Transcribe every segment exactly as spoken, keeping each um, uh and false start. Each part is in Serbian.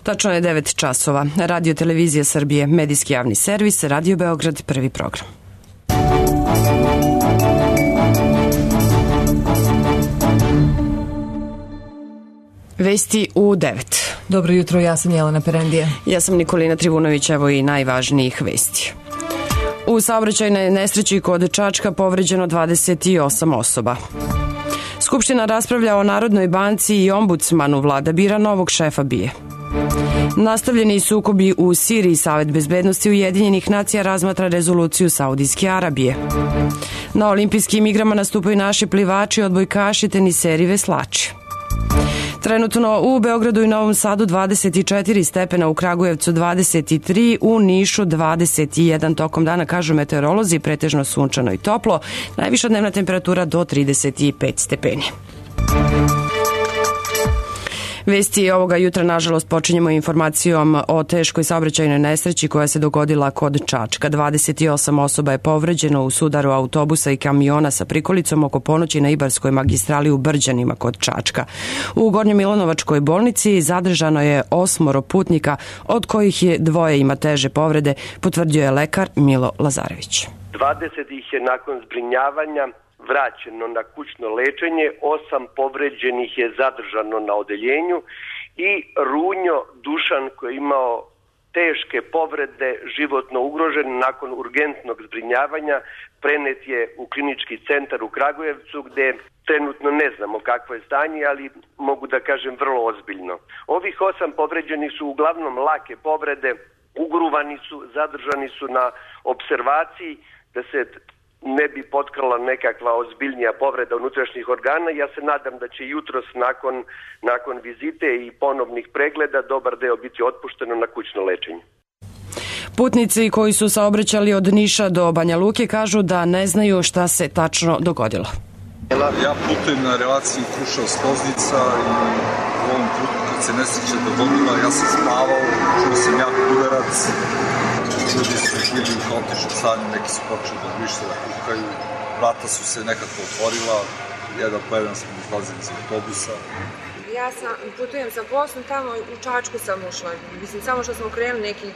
Tačno je devet časova. Radio Televizija Srbije, medijski javni servis, Radio Beograd, prvi program. Vesti u devet. Dobro jutro, ja sam Jelena Perendija. Ja sam Nikolina Trivunović, evo i najvažnijih vesti. U saobraćajnoj nesreći kod Čačka povređeno dvadeset osam osoba. Skupština raspravlja o Narodnoj banci i ombudsmanu, vlada bira novog šefa B I A. Nastavljeni sukobi u Siriji, Savet bezbednosti Ujedinjenih nacija razmatra rezoluciju Saudijske Arabije. Na olimpijskim igrama nastupaju naši plivači, odbojkaši, teniseri, veslači. Trenutno u Beogradu i Novom Sadu dvadeset četiri stepena, u Kragujevcu dvadeset tri, u Nišu dvadeset jedan. Tokom dana, kažu meteorolozi, pretežno sunčano i toplo, najviša dnevna temperatura do trideset pet stepeni. Vesti ovoga jutra, nažalost, počinjemo informacijom o teškoj saobraćajnoj nesreći koja se dogodila kod Čačka. dvadeset osam osoba je povređeno u sudaru autobusa i kamiona sa prikolicom oko ponoći na Ibarskoj magistrali u Brđanima kod Čačka. U Gornjomilanovačkoj bolnici zadržano je osmoro putnika, od kojih je dvoje ima teže povrede, potvrdio je lekar Milo Lazarević. dvadeset ih je nakon zbrinjavanja vraćeno na kućno lečenje, osam povređenih je zadržano na odeljenju i Runjo Dušan koji je imao teške povrede, životno ugrožen, nakon urgentnog zbrinjavanja prenet je u klinički centar u Kragujevcu gde trenutno ne znamo kakvo je stanje, ali mogu da kažem vrlo ozbiljno. Ovih osam povređenih su uglavnom lake povrede, ugruvani su, zadržani su na observaciji da se ne bi potkrala nekakva ozbiljnija povreda unutrašnjih organa. Ja se nadam da će jutros nakon, nakon vizite i ponovnih pregleda dobar deo biti otpušteno na kućno lečenje. Putnici koji su saobraćali od Niša do Banja Luke kažu da ne znaju šta se tačno dogodilo. Ja putujem na relaciji Kruševac-Loznica i u ovom trenutku kad se nesreća dogodila, ja sam spavao, čuo sam jak udarac, ljudi su bili u haotičnom stanju, neki su počeli da više da kukaju, vrata su se nekako otvorila, jedan po jedan smo izlazili iz autobusa. Ja sam, putujem sa poslom, tamo u Čačku sam ušla, mislim samo što smo krenuli neki,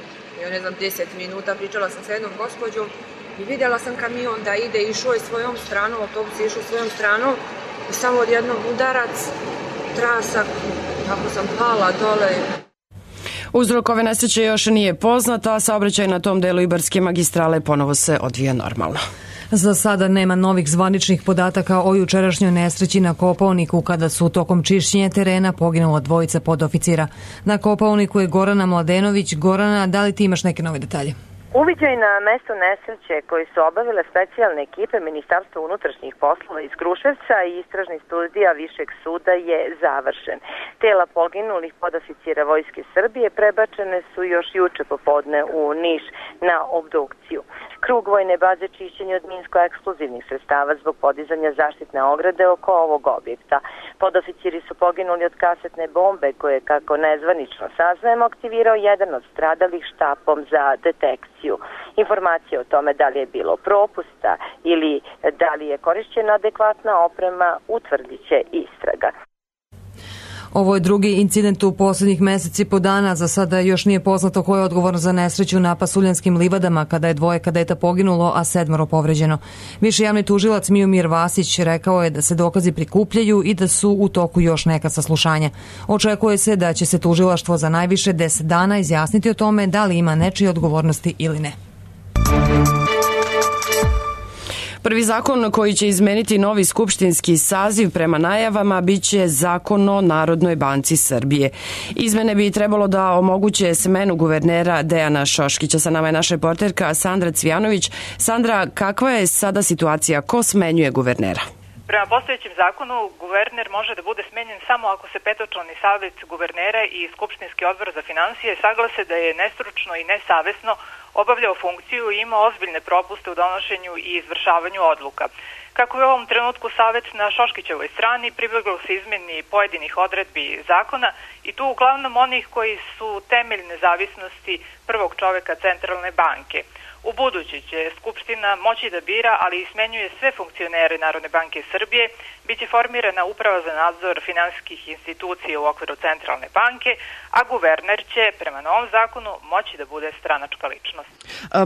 ja ne znam, deset minuta, pričala sam sa jednom gospođom i vidjela sam kamion da ide, išao je svojom stranom, autobus je išao svojom stranom i samo odjednom udarac, trasak, kako sam pala dole. Uzrok ove nesreće još nije poznat, a saobraćaj na tom delu Ibarske magistrale ponovo se odvija normalno. Za sada nema novih zvaničnih podataka o jučerašnjoj nesreći na Kopaoniku kada su tokom čišćenja terena poginula dvojica podoficira. Na Kopaoniku je Gorana Mladenović. Gorana, da li ti imaš neke nove detalje? Uviđaj na mesto nesreće koji su obavile specijalne ekipe Ministarstva unutrašnjih poslova iz Kruševca i istražnih studija Višeg suda je završen. Tela poginulih podoficira Vojske Srbije prebačene su još juče popodne u Niš na obdukciju. Krug vojne baze čišćenja od minsko-eksplozivnih sredstava zbog podizanja zaštitne ograde oko ovog objekta. Podoficiri su poginuli od kasetne bombe koje, kako nezvanično saznajemo, aktivirao jedan od stradalih štapom za detekciju. Informacije o tome da li je bilo propusta ili da li je korišćena adekvatna oprema utvrdit će istraga. Ovo je drugi incident u poslednjih meseci po dana. Za sada još nije poznato ko je odgovoran za nesreću na Pasuljanskim livadama kada je dvoje kadeta poginulo, a sedmoro povređeno. Viši javni tužilac Miomir Vasić rekao je da se dokazi prikupljaju i da su u toku još neka saslušanja. Očekuje se da će se tužilaštvo za najviše deset dana izjasniti o tome da li ima nečije odgovornosti ili ne. Prvi zakon koji će izmeniti novi skupštinski saziv prema najavama biće Zakon o Narodnoj banci Srbije. Izmene bi trebalo da omoguće smenu guvernera Dejana Šoškića. Sa nama je naša reporterka Sandra Cvijanović. Sandra, kakva je sada situacija? Ko smenjuje guvernera? Prema postojećem zakonu, guverner može da bude smenjen samo ako se petočlani savjet guvernera i Skupštinski odbor za finansije saglase da je nestručno i nesavesno obavljao funkciju i imao ozbiljne propuste u donošenju i izvršavanju odluka. Kako je u ovom trenutku savjet na Šoškićevoj strani, pribeglo se izmeni pojedinih odredbi zakona i tu uglavnom onih koji su temelj nezavisnosti prvog čoveka Centralne banke. U budući će Skupština moći da bira, ali i smenjuje sve funkcionere Narodne banke Srbije biće formirana uprava za nadzor finansijskih institucija u okviru centralne banke, a guverner će prema novom zakonu moći da bude stranačka ličnost.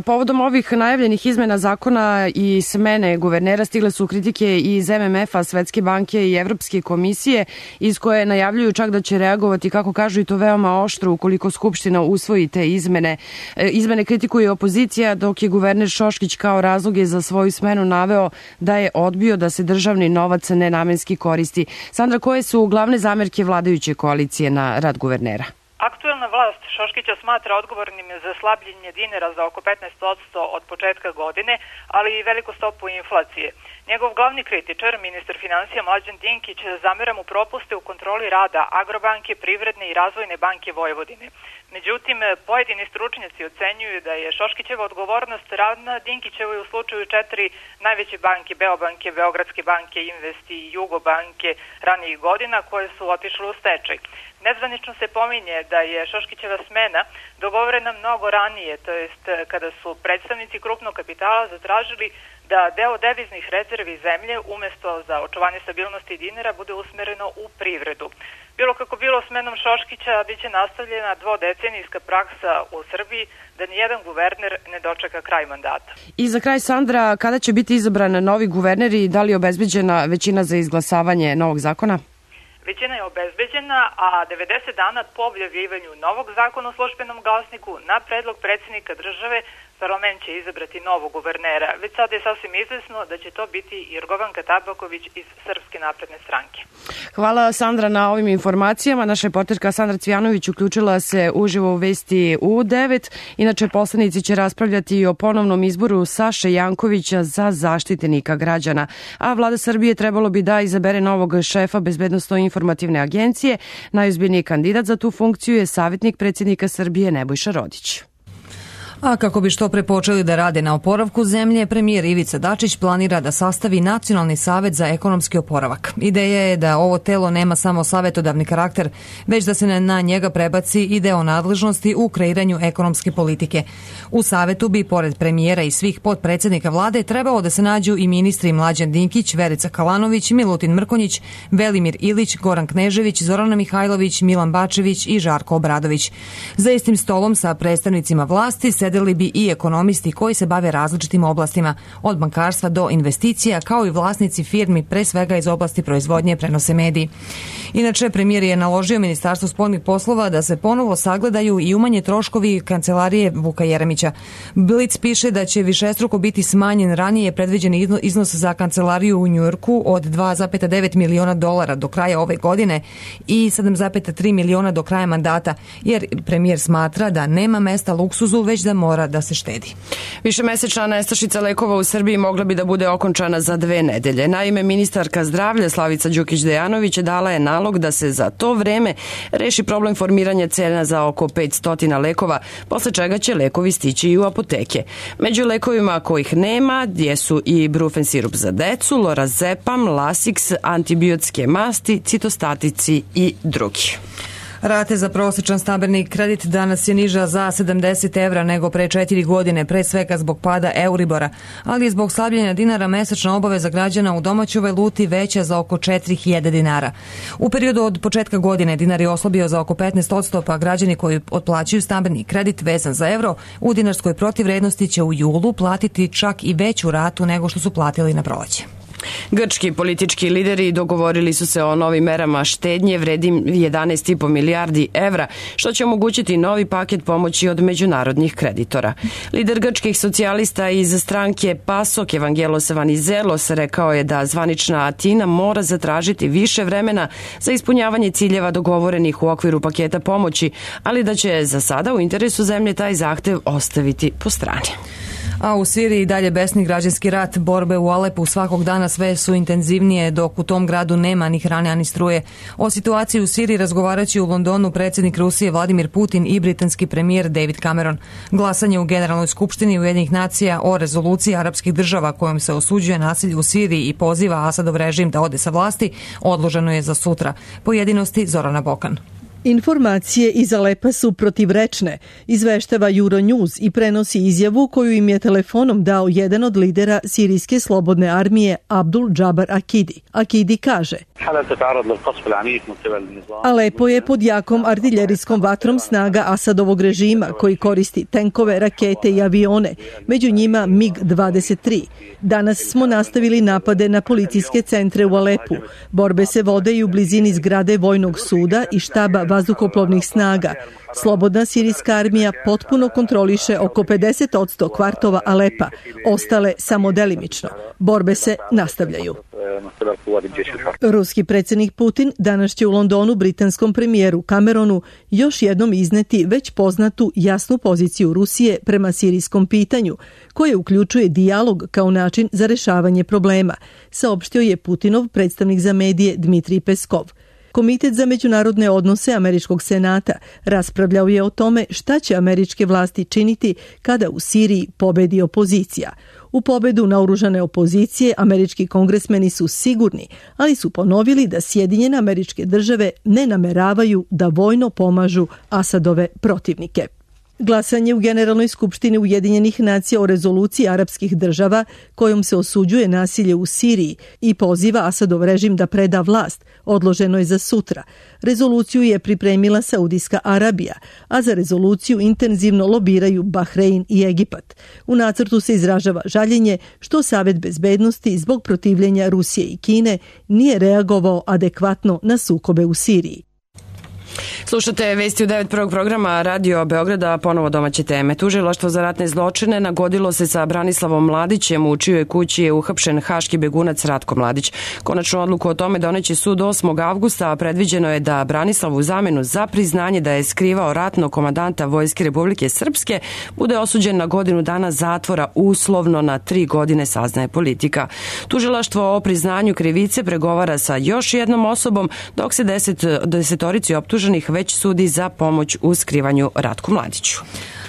Povodom ovih najavljenih izmena zakona i smene guvernera stigle su kritike iz em em ef-a, Svetske banke i Evropske komisije, iz koje najavljuju čak da će reagovati, kako kažu, i to veoma oštro ukoliko Skupština usvoji te izmene. Izmene kritikuje opozicija, dok je guverner Šoškić kao razloge za svoju smenu naveo da je odbio da se državni novac nenamenski koristi. Sandra, koje su glavne zamerke vladajuće koalicije na rad guvernera? Aktuelna vlast Šoškića smatra odgovornim za slabljenje dinara za oko petnaest posto od početka godine, ali i veliku stopu inflacije. Njegov glavni kritičar, ministar finansija Mlađan Dinkić, zamera mu propuste u kontroli rada Agrobanke, Privredne i Razvojne banke Vojvodine. Međutim, pojedini stručnjaci ocenjuju da je Šoškićeva odgovornost ravna Dinkićevoj u slučaju četiri najveće banke, Beobanke, Beogradske banke, Investi i Jugobanke ranijih godina, koje su otišle u stečaj. Nezvanično se pominje da je Šoškićeva smena dogovorena mnogo ranije, to jest kada su predstavnici krupnog kapitala zatražili da deo deviznih rezervi zemlje umesto za očuvanje stabilnosti dinara bude usmereno u privredu. Bilo kako bilo, smenom Šoškića biće nastavljena dvodecenijska praksa u Srbiji da nijedan guverner ne dočeka kraj mandata. I za kraj, Sandra, kada će biti izabran novi guverner i da li je obezbeđena većina za izglasavanje novog zakona? Većina je obezbeđena, a devedeset dana po objavljivanju novog zakona o službenom glasniku na predlog predsjednika države parlament će izabrati novog guvernera. Već sada je sasvim izvesno da će to biti Jorgovanka Tabaković iz Srpske napredne stranke. Hvala, Sandra, na ovim informacijama. Naša reporterka Sandra Cvijanović uključila se uživo u Vesti u devet. Inače, poslanici će raspravljati i o ponovnom izboru Saše Jankovića za zaštitnika građana. A vlada Srbije trebalo bi da izabere novog šefa Bezbednosno-informativne agencije. Najozbiljniji kandidat za tu funkciju je savjetnik predsjednika Srbije Nebojša Rodić. A kako bi što pre počeli da rade na oporavku zemlje, premijer Ivica Dačić planira da sastavi Nacionalni savet za ekonomski oporavak. Ideja je da ovo telo nema samo savetodavni karakter, već da se na njega prebaci i deo nadležnosti u kreiranju ekonomske politike. U savetu bi, pored premijera i svih potpredsjednika vlade, trebalo da se nađu i ministri Mlađan Dinkić, Verica Kalanović, Milutin Mrkonjić, Velimir Ilić, Goran Knežević, Zorana Mihajlović, Milan Bačević i Žarko Obradović. Za istim stolom sa predstavnicima vlasti sedeli bi i ekonomisti koji se bave različitim oblastima, od bankarstva do investicija, kao i vlasnici firmi, pre svega iz oblasti proizvodnje, prenose mediji. Inače, premijer je naložio Ministarstvu spoljnih poslova da se ponovo sagledaju i umanje troškovi kancelarije Vuka Jeremića. Blic piše da će višestruko biti smanjen ranije predviđeni iznos za kancelariju u Njujorku od dva zarez devet miliona dolara do kraja ove godine i sedam zarez tri miliona do kraja mandata, jer premijer smatra da nema mesta luksuzu, već da mora da se štedi. Višemesečna nestašica lekova u Srbiji mogla bi da bude okončana za dve nedelje. Naime, ministarka zdravlja Slavica Đukić-Dejanović dala je nalog da se za to vreme reši problem formiranja cena za oko petsto lekova, posle čega će lekovi stići i u apoteke. Među lekovima kojih nema jesu i brufen sirup za decu, lorazepam, lasix, antibiotske masti, citostatici i drugi. Rate za prosječan stambeni kredit danas je niža za sedamdeset evra nego pre četiri godine, pre svega zbog pada Euribora, ali je zbog slabljenja dinara mesečna obaveza građana u domaćoj valuti veća za oko četiri hiljade dinara. U periodu od početka godine dinar je oslabio za oko petnaest posto, pa građani koji otplaćuju stambeni kredit vezan za evro u dinarskoj protivvrednosti će u julu platiti čak i veću ratu nego što su platili na proleće. Grčki politički lideri dogovorili su se o novim merama štednje vredim jedanaest zarez pet milijardi evra, što će omogućiti novi paket pomoći od međunarodnih kreditora. Lider grčkih socijalista iz stranke PASOK Evangelos Vanizelos rekao je da zvanična Atina mora zatražiti više vremena za ispunjavanje ciljeva dogovorenih u okviru paketa pomoći, ali da će za sada u interesu zemlje taj zahtev ostaviti po strani. A u Siriji dalje besni građanski rat, borbe u Alepu svakog dana sve su intenzivnije, dok u tom gradu nema ni hrane, ni struje. O situaciji u Siriji razgovaraće u Londonu predsjednik Rusije Vladimir Putin i britanski premijer David Cameron. Glasanje u Generalnoj skupštini Ujedinjenih nacija o rezoluciji arapskih država kojom se osuđuje nasilje u Siriji i poziva Asadov režim da ode sa vlasti odloženo je za sutra. Pojedinosti Zorana Bokan. Informacije iz Alepa su protivrečne, izveštava Euronews i prenosi izjavu koju im je telefonom dao jedan od lidera sirijske slobodne armije Abdul Džabar Akidi. Akidi kaže: Alepo je pod jakom artiljerijskom vatrom snaga Asadovog režima koji koristi tenkove, rakete i avione, među njima mig dvadeset tri. Danas smo nastavili napade na policijske centre u Alepu. Borbe se vode i u blizini zgrade vojnog suda i štaba vazduhoplovnih snaga. Slobodna sirijska armija potpuno kontroliše oko pedeset posto kvartova Alepa, ostale samo delimično. Borbe se nastavljaju. Ruski predsjednik Putin danas će u Londonu britanskom premijeru Cameronu još jednom izneti već poznatu jasnu poziciju Rusije prema sirijskom pitanju, koje uključuje dijalog kao način za rešavanje problema, saopštio je Putinov predstavnik za medije Dmitrij Peskov. Komitet za međunarodne odnose Američkog senata raspravljao je o tome šta će američke vlasti činiti kada u Siriji pobedi opozicija. U pobedu naoružane opozicije američki kongresmeni su sigurni, ali su ponovili da Sjedinjene Američke Države ne nameravaju da vojno pomažu Asadove protivnike. Glasanje u Generalnoj skupštini Ujedinjenih nacija o rezoluciji arapskih država kojom se osuđuje nasilje u Siriji i poziva Asadov režim da preda vlast odloženo je za sutra. Rezoluciju je pripremila Saudijska Arabija, a za rezoluciju intenzivno lobiraju Bahrein i Egipat. U nacrtu se izražava žaljenje što Savet bezbednosti zbog protivljenja Rusije i Kine nije reagovao adekvatno na sukobe u Siriji. Slušate vesti u devet prvog programa Radio Beograda, ponovo domaće teme. Tužilaštvo za ratne zločine nagodilo se sa Branislavom Mladićem, u čijoj kući je uhapšen haški begunac Ratko Mladić. Konačnu odluku o tome doneće sud osmog avgusta, a predviđeno je da Branislav u zamenu za priznanje da je skrivao ratnog komandanta Vojske Republike Srpske bude osuđen na godinu dana zatvora uslovno na tri godine, saznaje Politika. Tužilaštvo o priznanju krivice pregovara sa još jednom osobom, dok se deset, desetorici optuženih već sudi za pomoć u skrivanju Ratku Mladiću.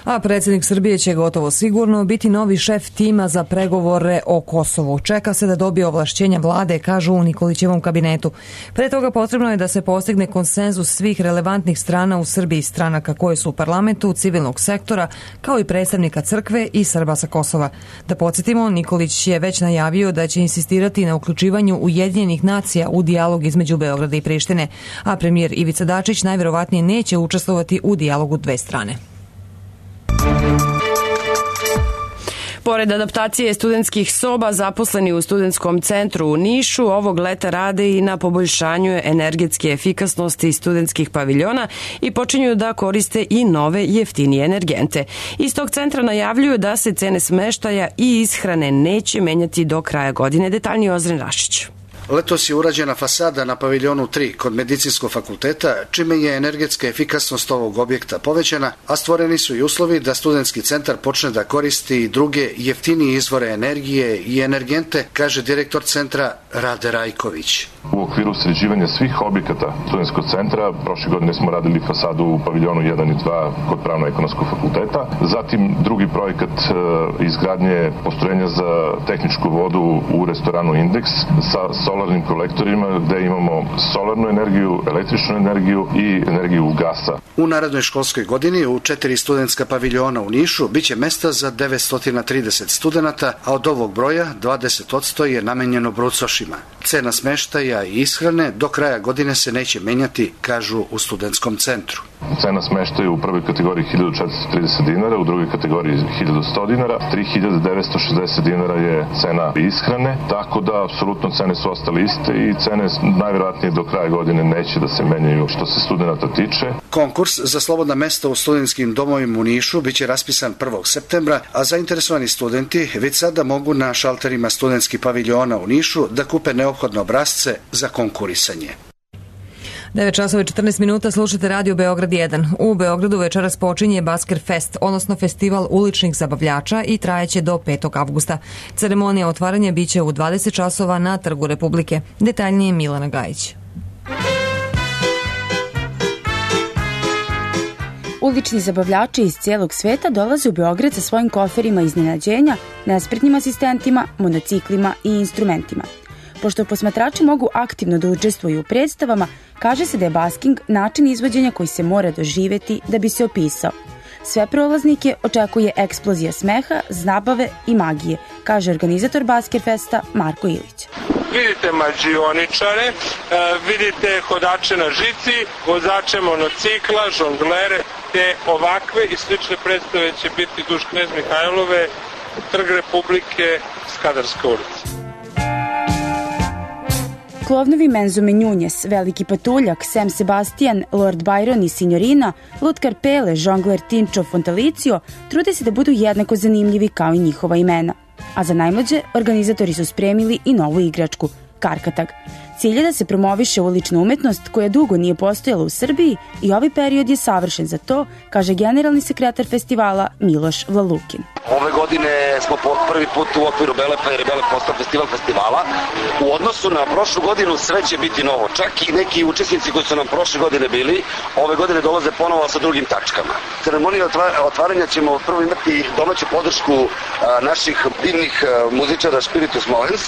A predsjednik Srbije će gotovo sigurno biti novi šef tima za pregovore o Kosovu. Čeka se da dobije ovlašćenja vlade, kažu u Nikolićevom kabinetu. Pre toga potrebno je da se postigne konsenzus svih relevantnih strana u Srbiji, stranaka koje su u parlamentu, civilnog sektora, kao i predstavnika crkve i Srba sa Kosova. Da podsjetimo, Nikolić je već najavio da će insistirati na uključivanju Ujedinjenih nacija u dijalog između Beograda i Prištine, a premijer Ivica Dačić najverovatnije neće učestvovati u dijalogu dve strane. Pored adaptacije studentskih soba, zaposleni u studentskom centru u Nišu ovog leta rade i na poboljšanju energetske efikasnosti studentskih paviljona i počinju da koriste i nove jeftinije energente. Iz tog centra najavljuju da se cene smeštaja i ishrane neće menjati do kraja godine. Detaljnije Ozren Rašić. Letos je urađena fasada na paviljonu tri kod Medicinskog fakulteta, čime je energetska efikasnost ovog objekta povećana, a stvoreni su i uslovi da studentski centar počne da koristi i druge jeftinije izvore energije i energente, kaže direktor centra Rade Rajković. U okviru sređivanja svih objekata studentskog centra, prošle godine smo radili fasadu u paviljonu jedan i dva kod Pravno-ekonomskog fakulteta, zatim drugi projekat izgradnje postrojenja za tehničku vodu u restoranu Indeks sa solarnim kolektorima gde imamo solarnu energiju, električnu energiju i energiju gasa. U narednoj školskoj godini u četiri studentska paviljona u Nišu biće mesta za devetsto trideset studenata, a od ovog broja dvadeset posto je namenjeno brucošima. Cena smeštaja i ishrane do kraja godine se neće menjati, kažu u studentskom centru. Cena smeštaja u prvoj kategoriji hiljadu četiristo trideset dinara, u drugoj kategoriji hiljadu sto dinara, tri hiljade devetsto šezdeset dinara je cena ishrane, tako da apsolutno cene su ostale iste i cene najvjerojatnije do kraja godine neće da se menjaju što se studenata tiče. Konkurs za slobodna mesta u studentskim domovima u Nišu biće raspisan prvog septembra, a zainteresovani studenti već sada mogu na šalterima studentskih paviljona u Nišu da kupe neophodne obrasce za konkurisanje. devet časova i četrnaest minuta, slušate Radio Beograd jedan. U Beogradu večeras počinje Basker Fest, odnosno festival uličnih zabavljača i trajeće do petog avgusta. Ceremonija otvaranja biće u dvadeset časova na Trgu Republike. Detaljnije Milana Gajić. Ulični zabavljači iz cijelog sveta dolaze u Beograd sa svojim koferima iznenađenja, nespretnim asistentima, monociklima i instrumentima. Pošto posmatrači mogu aktivno da učestvuju u predstavama, kaže se da je basking način izvođenja koji se mora doživjeti da bi se opisao. Sve prolaznike očekuje eksplozija smeha, zabave i magije, kaže organizator Baskerfesta Marko Ilić. Vidite mađioničare, vidite hodače na žici, vozače monocikla, žonglere, te ovakve i slične predstave će biti duž Knez Mihajlove, Trg Republike, Skadarska ulica. Klovnovi Menzo Menjunjes, Veliki patuljak, Sem Sebastian, Lord Byron i Signorina, Lutkar Pele, žongler Tinčo Fontalicio trude se da budu jednako zanimljivi kao i njihova imena. A za najmlađe, organizatori su spremili i novu igračku, Karkatag. Cilj je da se promoviše ulična umetnost koja dugo nije postojala u Srbiji i ovaj period je savršen za to, kaže generalni sekretar festivala Miloš Vlalukin. Ove godine smo po prvi put u okviru Belepa jer je Belep postao festival festivala. U odnosu na prošlu godinu sve će biti novo. Čak i neki učesnici koji su nam prošle godine bili, ove godine dolaze ponovo sa drugim tačkama. Ceremonija otvaranja ćemo prvo imati domaću podršku naših divnih muzičara Spiritus Movens,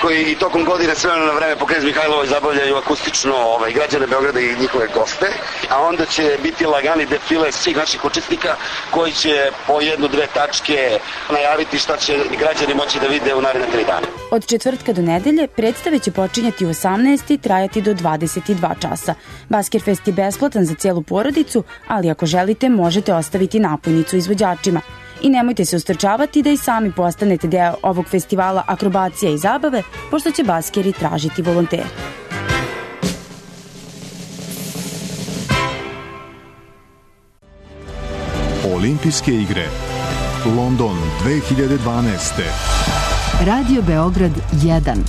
koji i tokom godine sve na vreme po Knez Mihajlovoj zabavljaju akustično ovaj, građane Beograda i njihove goste, a onda će biti lagani defile svih naših učesnika koji će po jednu, dve tačke najaviti šta će građani moći da vide u naredne tri dana. Od četvrtka do nedelje predstave će počinjati u osamnaest i trajati do dvadeset dva časa. Baskerfest je besplatan za cijelu porodicu, ali ako želite možete ostaviti napojnicu izvođačima. I nemojte se ustrčavati da i sami postanete deo ovog festivala akrobacija i zabave, pošto će baskeri tražiti volontere. Olimpijske igre London dve hiljade dvanaeste. Radio Beograd jedan.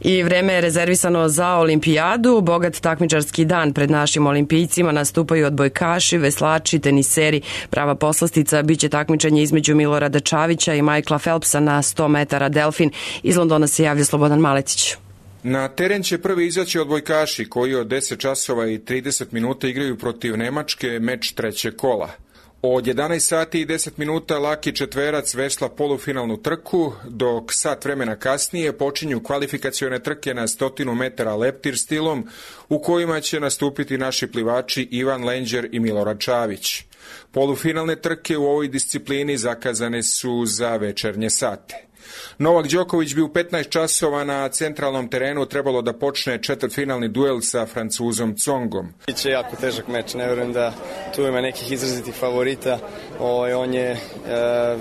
I vreme je rezervisano za olimpijadu. Bogat takmičarski dan pred našim olimpijcima, nastupaju odbojkaši, veslači, teniseri. Prava poslastica biće takmičenje između Milorada Čavića i Michaela Phelpsa na sto metara delfin. Iz Londona se javlja Slobodan Maletić. Na teren će prvi izaći odbojkaši koji od deset časova i trideset minuta igraju protiv Nemačke meč trećeg kola. Od jedanaest sati i deset minuta laki četverac vesla polufinalnu trku, dok sat vremena kasnije počinju kvalifikacione trke na stotinu metara leptir stilom, u kojima će nastupiti naši plivači Ivan Lenđer i Milorad Čavić. Polufinalne trke u ovoj disciplini zakazane su za večernje sate. Novak Đoković bi u petnaest časova na centralnom terenu trebalo da počne četvrtfinalni duel sa Francuzom Tsongom. Biće jako težak meč, ne verujem da tu ima nekih izrazitih favorita. O, on je e,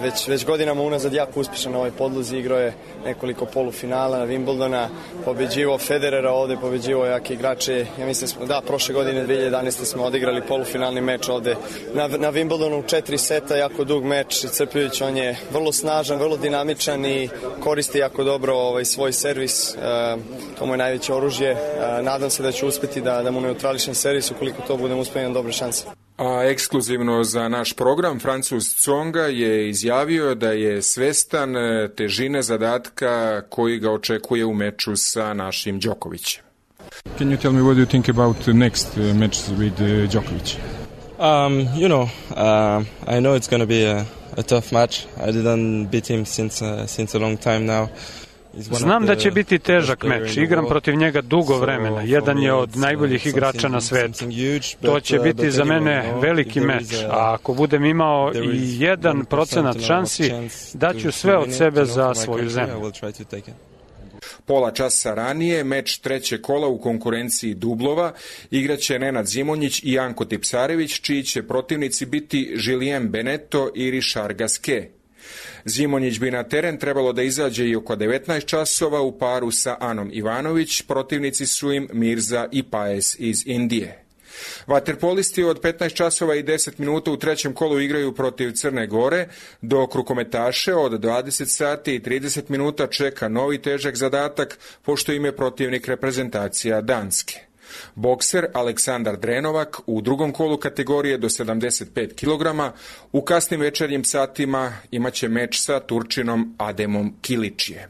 već, već godinama unazad jako uspješan na ovoj podlozi, igrao je nekoliko polufinala na Wimbledona, pobeđivao Federera ovde, pobeđivao jake igrače. Ja mislim smo, da, prošle godine dve hiljade jedanaeste smo odigrali polufinalni meč ovde na, na Wimbledonu u četiri seta, jako dug meč, iscrpljujući. On je vrlo snažan, vrlo dinamičan i koristi jako dobro ovaj, svoj servis, e, to mu je najveće oružje. E, nadam se da će uspeti da, da mu neutrališem servis, ukoliko to budem uspio na dobre šanse. A ekskluzivno za naš program Francuz Tsonga je izjavio da je svestan težine zadatka koji ga očekuje u meču sa našim Đokovićem. Can you tell me what you think about the next uh, match with uh, Djokovic? Um, you know, uh, I know it's going to be a, a tough match. I didn't beat him since uh, since a long time now. Znam da će biti težak meč. Igram protiv njega dugo vremena. Jedan je od najboljih igrača na svetu. To će biti za mene veliki meč. A ako budem imao i jedan procenat šansi, daću sve od sebe za svoju zemlju. Pola časa ranije, meč treće kola u konkurenciji dublova igraće Nenad Zimonjić i Janko Tipsarević, čiji će protivnici biti Julien Beneteau i Richard Gasquet. Zimonjić bi na teren trebalo da izađe i oko devetnaest časova u paru sa Anom Ivanović, protivnici su im Mirza i Paes iz Indije. Vaterpolisti od petnaest časova i deset minuta u trećem kolu igraju protiv Crne Gore, dok rukometaše od dvadeset sati i trideset minuta čeka novi težak zadatak, pošto im je protivnik reprezentacija Danske. Bokser Aleksandar Drenovak u drugom kolu kategorije do sedamdeset pet kilograma u kasnim večernjim satima imaće meč sa Turčinom Ademom Kiličijem.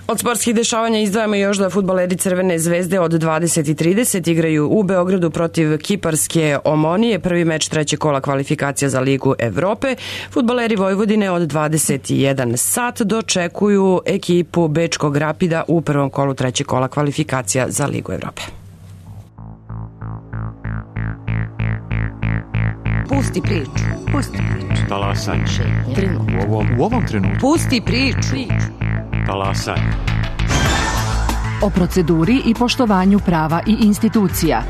Od sportskih dešavanja izdvajamo još da fudbaleri Crvene zvezde od dvadeset i trideset igraju u Beogradu protiv kiparske Omonije, prvi meč trećeg kola kvalifikacija za Ligu Evrope. Fudbaleri Vojvodine od dvadeset i jedan sat dočekuju ekipu Bečkog Rapida u prvom kolu trećeg kola kvalifikacija za Ligu Evrope. Pusti priču. Pusti priču. Talasanje. U ovom, u ovom trenutku. Pusti priču. Talasanje. O proceduri i poštovanju prava i institucija.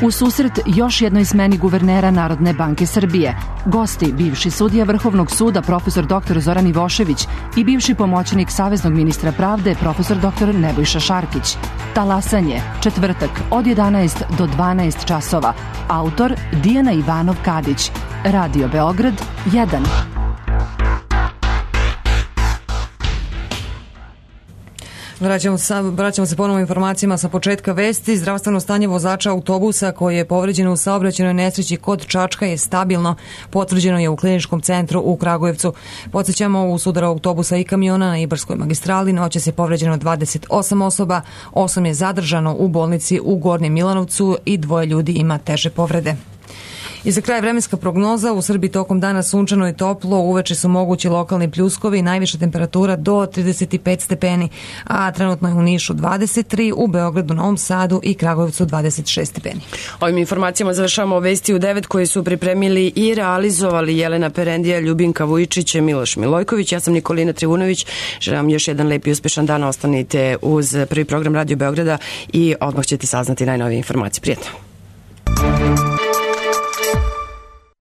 U susret još jednoj smeni guvernera Narodne banke Srbije. Gosti, bivši sudija Vrhovnog suda profesor doktor Zoran Ivošević i bivši pomoćnik Saveznog ministra pravde profesor doktor Nebojša Šarkić. Talasanje, četvrtak od jedanaest do dvanaest časova. Autor Dijana Ivanov Kadić. Radio Beograd jedan. Vraćamo, sa, vraćamo se ponovo informacijama sa početka vesti. Zdravstveno stanje vozača autobusa koji je povređen u saobraćajnoj nesreći kod Čačka je stabilno. Potvrđeno je u kliničkom centru u Kragujevcu. Podsjećamo, u sudaru autobusa i kamiona na Ibarskoj magistrali noćas je povređeno dvadeset osam osoba, osam je zadržano u bolnici u Gornjem Milanovcu i dvoje ljudi ima teže povrede. I za kraj vremenska prognoza, u Srbiji tokom dana sunčano i toplo, uveče su mogući lokalni pljuskovi, najviša temperatura do trideset pet stepeni, a trenutno je u Nišu dvadeset tri, u Beogradu, Novom Sadu i Kragujevcu dvadeset šest stepeni. Ovim informacijama završamo vesti u devet koje su pripremili i realizovali Jelena Perendija, Ljubinka Vujičić, Miloš Milojković. Ja sam Nikolina Trivunović. Želim vam još jedan lep i uspešan dan. Ostanite uz prvi program Radio Beograda i odmah ćete saznati najnovije informacije. Prijetno.